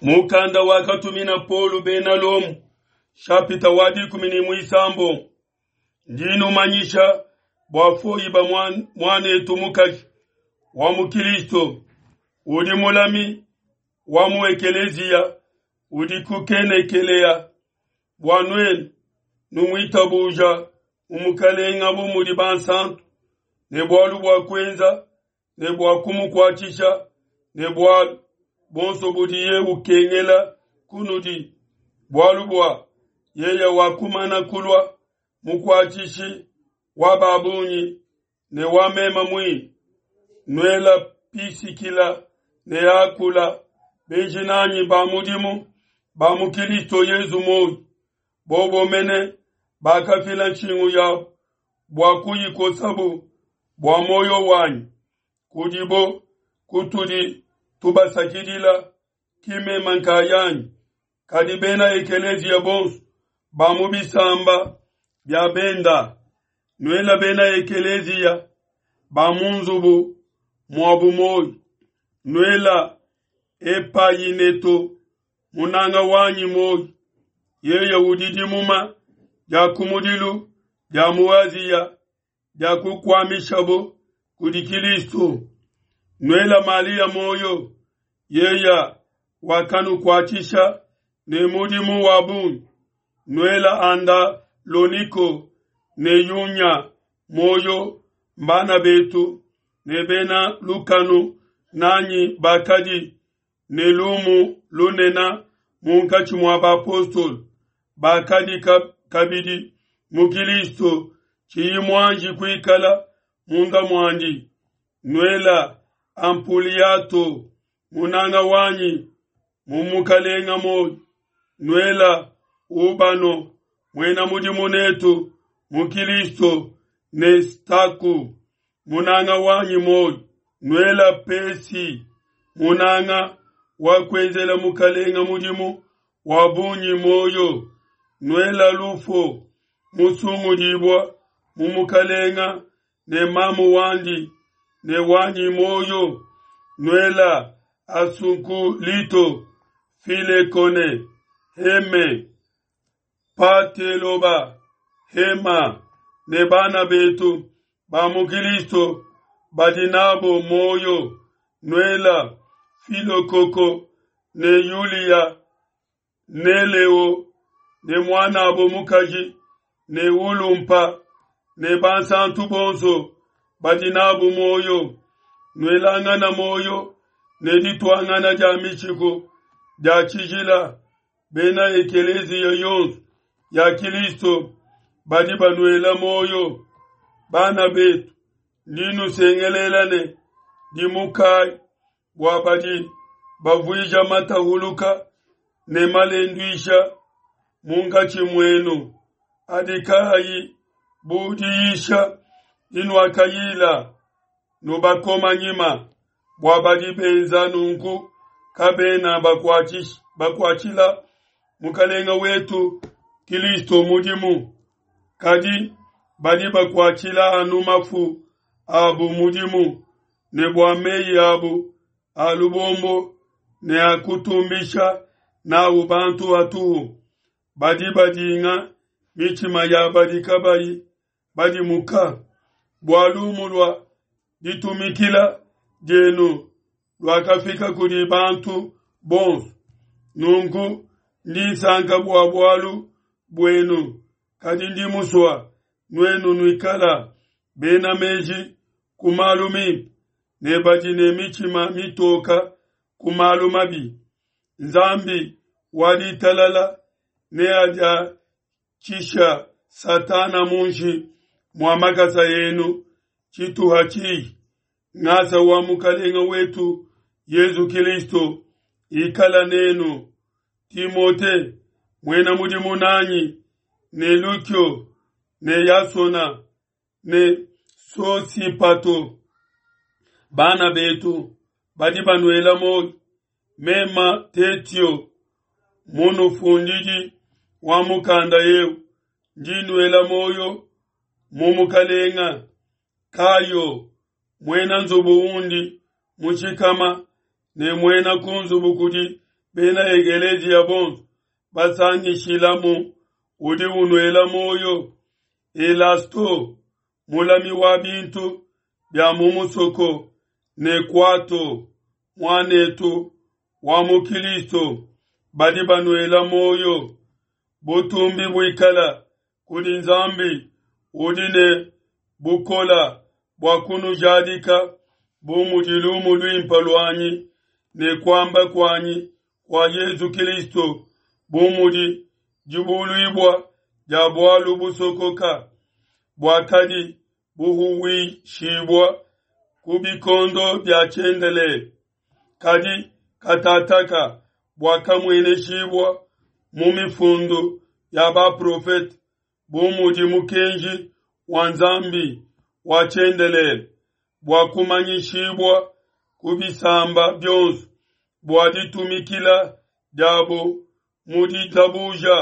Mukanda wakatumina Paulo bena Lomo, shapita wa 13. Ndi numanyisha bua Foiba muanetu mukaji wa mu Kilisto, udi mulami wa mu ekeleziya udi ku Kenekelea, bua nuenu numuitabuja mu Mukalenga bu mudi bansantu, ne bualu bua kuenza ne bua kumukuatshisha ne bualu buonso budiye ukengela kunudi, bualu bua yeye wakumana kulua mukuatshishi wa ba bungi ne wa mema muine. Nuela Pisikila ne Akula, benji nanyi ba mudimu ba mu Kilisto Yezu muoyo, bobo mene bakafila nshingu yabu bua kuyikosabu bua muoyo wanyi. Kudibo kutudi tubasakidila, ki mema nkayanyi, kadi bena ekeleziya bonso ba mu bisamba bia benda. Nuela bena ekeleziya ba mu nzubu muabu muoyo. Nuela Epayineto munanga wanyi muoyo, yeye udi dimuma dia kumudilu dia mu Aziya dia kukuamishabo kudi Kilisto. Nuela Malia muoyo, yeya wakanukuatshisha ne mudimu wa bungi. Nuela Andaloniko ne Yunya muoyo, mbana betu ne bena lukanu nanyi bakadi ne lumu lunene munkatshi mua bapostolo bakadi kabidi mu Kilisto, tshiyi muanji kuikala munda muandi. Nuela Ampuliato munanga wanyi mu Mukalenga muoyo. Nuela Ubano muena mudimu netu mu Kilisto ne Staku munanga wanyi muoyo. Nuela Pesi munanga wa kuenzela Mukalenga mudimu wa bungi muoyo. Nuela Lufo musungudibua mu Mukalenga ne mamu wandi ne wanyi muoyo. Nuela Asunkulito, Filekone, Heme, Pateloba, Hema ne bana betu ba mu Kilisto badi nabo muoyo. Nuela Filokoko ne Yulia ne Leo ne muanabo mukaji ne Ulumpa ne bansantu bonso badi nabu muoyo. Nuelangana muoyo ne dituangana dia mishiku dia tshijila. Bena ekeleziya yonso ya Kilisto badi banuela muoyo. Bana betu, ndi nusengelela ne dimukayi bua badi bavuija matahuluka ne malenduisha munkatshi muenu, adi kaayi bu diyisha dinuakayila. Nubakoma nyima, bua badi benza nunku kabena bakuatshila Mukalenga wetu Kilisto mudimu, kadi badi bakuatshila anu mafu abu mudimu, ne bua meyi abu a lubombo ne a kutumbisha nawu bantu hatuhu, badi badinga mitshima ya badi kabayi badimuka. Bua lumu lua ditumikila dienu luakafika kudi bantu bonso, nunku ndi nsanka bua bualu buenu, kadi ndi musua nuenu nuikala bena meji ku malu mimpe ne badi ne mitshima mitoka ku malu mabi. Nzambi wa ditalala neadiatshisha Satana munshi mua makasa enu tshituha tshihi. Ngasa wa Mukalenga wetu Yezu Kilisto ikala nenu. Timote muena mudimu nanyi, ne Lukio ne Yasona ne Sosipato, bana betu badi banuela muoyo. Mema Tetio munufundidi wa mukanda eu, ndi nuela muoyo mu Mukalenga. Kayo muena nzubu undi mushikama ne muena ku nzubu kudi bena ekeleziya bonso basangishilamu, udi unuela muoyo. Elasto, mulami wa bintu bia mu musoko, ne Kuato, muanetu wa mu Kilisto, badi banuela muoyo. Butumbi buikala kudi Nzambi udi ne bukola bua kunujadika bu mudi lumu luimpe luanyi ne kuamba kuanyi kua Yezu Kilisto, bu mudi dibuluibua dia bualu busokoka buakadi buhuwishibua ku bikondo bia tshiendelele, kadi katataka buakamueneshibua mu mifundu ya baprofete bu mudi mukenji wa Nzambi wa tshiendelele bua kumanyishibua ku bisamba bionso bua ditumikila diabo mu ditabuja.